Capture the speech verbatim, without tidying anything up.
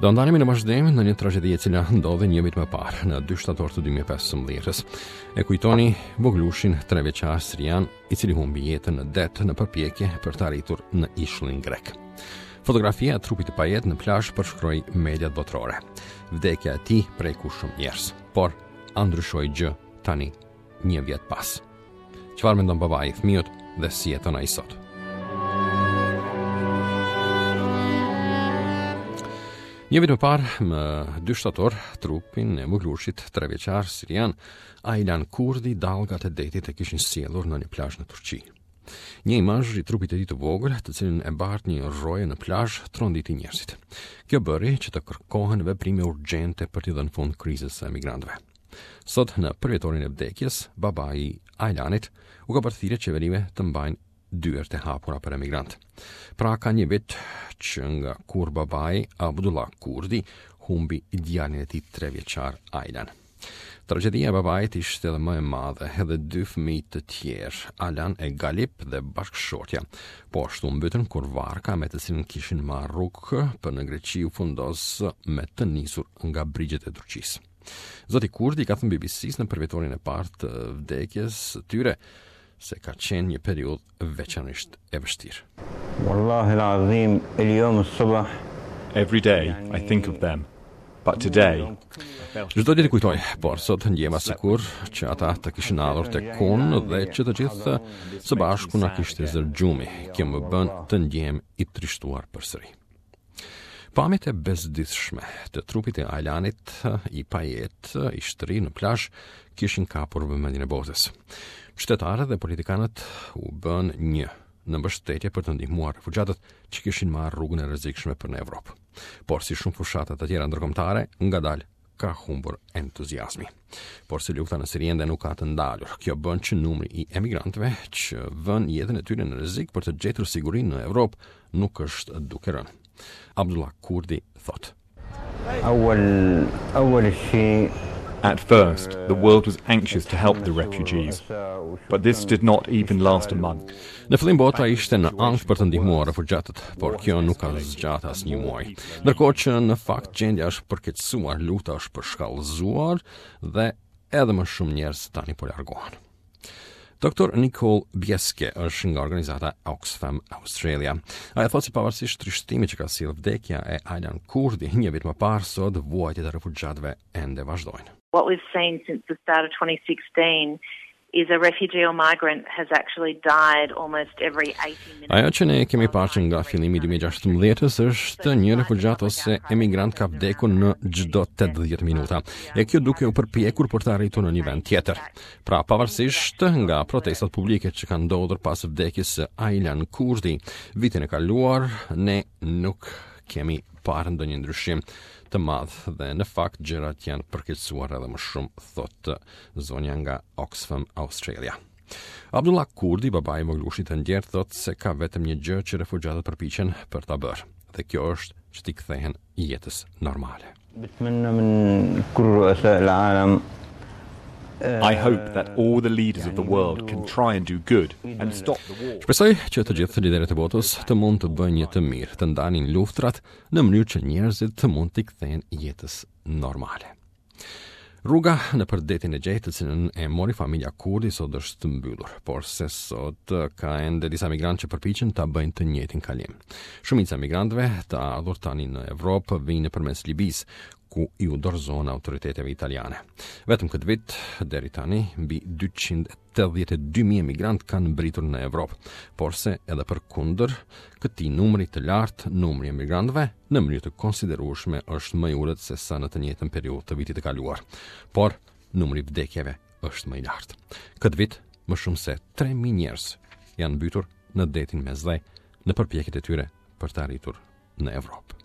Do ndalemi në vazhdim në një tragjedi e cila ndodhi një vit më parë, në dy shtator të dy mijë e pesëmbëdhjetës. E kujtoni vogëlushin trevjeçar sirian, i cili humbi jetën në det në përpjekje për të arritur në ishullin grek. Fotografia e trupit të pajetë në plazh përshkroi mediat botërore. Vdekja e tij preku shumë njerëz, por a ndryshoi gjë tani një vjet pas? Çfarë mendon babai i fëmijës dhe si jeton ai sot? Një vit më parë, më dy shtator, trupin e vogëlushit trevjeçar sirian Aylan Kurdi dallgat e detit e kishin sjellur në një plazh në Turqi. Një imazh i trupit të tij të vogël, të cilin e bart një roje në plazh, tronditi njerëzit. Kjo bëri që të kërkohen veprime urgjente për t'i dhënë fund krizës së emigrantëve. Sot, në përvjetorin e vdekjes, babai i Aylanit u ka bërë thirrje qeverive të mbajnë dyert e hapura për emigrant. Pra ka një vit që nga kur babai Abdullah Kurdi humbi djalin e tij trevjeçar Aylan. Tragjedia e babait ishte edhe më e madhe, edhe dy fëmijë të tjerë, Alan e Galip dhe bashkëshortja, po ashtu mbytën kur varka me të cilën kishin marrë rrugë për në Greqi u fundos me të nisur nga brigjet e Turqisë. Zoti Kurdi ka thënë B B C-s në përvjetorin e parë të vdekjes së tyre se ka qenë një periudhë veçanërisht e vështirë. Wallahi al-azim, al-yawm as-sabah. Every day I think of them. But today, Çdo ditë kujtoj, por sot ndjeva sikur që ata të kishin ardhur tek unë dhe që të gjithë së bashku na kishte zërë gjumi. Kjo më bën të ndjehem i trishtuar përsëri. Pamjet e bezdisshme të trupit të Aylanit i pajetë, i shtrirë në plazh, kishin kapur vëmendjen e botës. Qytetarët dhe politikanët u bën një në mbështetje për të ndihmuar refugjatët që kishin marrë rrugën e rrezikshme për në Evropë. Por si shumë fushata të tjera ndërkombëtare, ngadalë ka humbur entuziazmi. Por si lufta në Siri ende nuk ka të ndalur, kjo bën që numri i emigrantëve që vën jetën e tyre në rrezik për të gjetur sigurinë në Evropë nuk është duke rënë. Abdullah Kurdi thotë: Awal, awal shi At first, the world was anxious to help the refugees, but this did not even last a month. Në fillim bota ishte në ankth për të ndihmuar refugjatët, por kjo nuk ka zgjatur as një muaj. Ndërkohë që në fakt gjendja është përkeqësuar, lufta është përshkallëzuar dhe edhe më shumë njerëz tani po largohen. Doktor Nicole Bieske është nga organizata Oxfam Australia. Ajo thotë se pavarësisht trishtimit që ka sjellë vdekja e Aylan Kurdi një vit më parë, sot vuajtjet e refugjatëve ende vazhdojnë. What we've seen since the start of twenty sixteen is a refugee or migrant has actually died almost every eighty minutes. Ajo që ne kemi parë që nga fillimi i dy mijë e gjashtëmbëdhjetës është një refugjat ose emigrant ka vdekur në çdo tetëdhjetë minuta. E kjo duke u përpjekur për të arritur në një vend tjetër. Pra, pavarësisht nga protestat publike që kanë ndodhur pas vdekjes së Aylan Kurdi vitin e kaluar, ne nuk kemi parë ndonjë ndryshim të madh dhe në fakt gjërat janë përkeqësuar edhe më shumë, thotë zonja nga Oxfam Australia. Abdullah Kurdi, babai i vogëlushit të ndjerë, thotë se ka vetëm një gjë që refugjatët përpiqen për ta bërë, dhe kjo është që t'i kthehen jetës normale. Bitmenna min kull ru'asa al-alam. I hope that all the leaders of the world can try and do good and stop the war. Shpresoj që të gjithë liderët e botës të mund të bëjnë një të mirë, të ndalin luftrat në mënyrë që njerëzit të mund t'i kthehen jetës normale. Rruga në për detin e Egje, të cilën e mori familja Kurdi, sot është mbyllur, por se sot ka ende disa migrantë që përpiqen ta bëjnë të njëjtin kalim. Shumica e migrantëve të ardhur tani në Evropë vijnë përmes Libisë, ku iu dorëzohen autoriteteve italiane. Vetëm këtë vit, deri tani, mbi dyqind e tetëdhjetë e dy mijë emigrantë kanë mbritur në Evropë, porse edhe përkundër këtij numri të lartë, numri i emigrantëve në mënyrë të konsiderueshme është më i ulët se sa në të njëjtën periudhë të vitit të kaluar. Por numri i vdekjeve është më i lartë. Këtë vit, më shumë se tre mijë njerëz janë mbytur në detin Mesdhe në përpjekjet e tyre për të arritur në Evropë.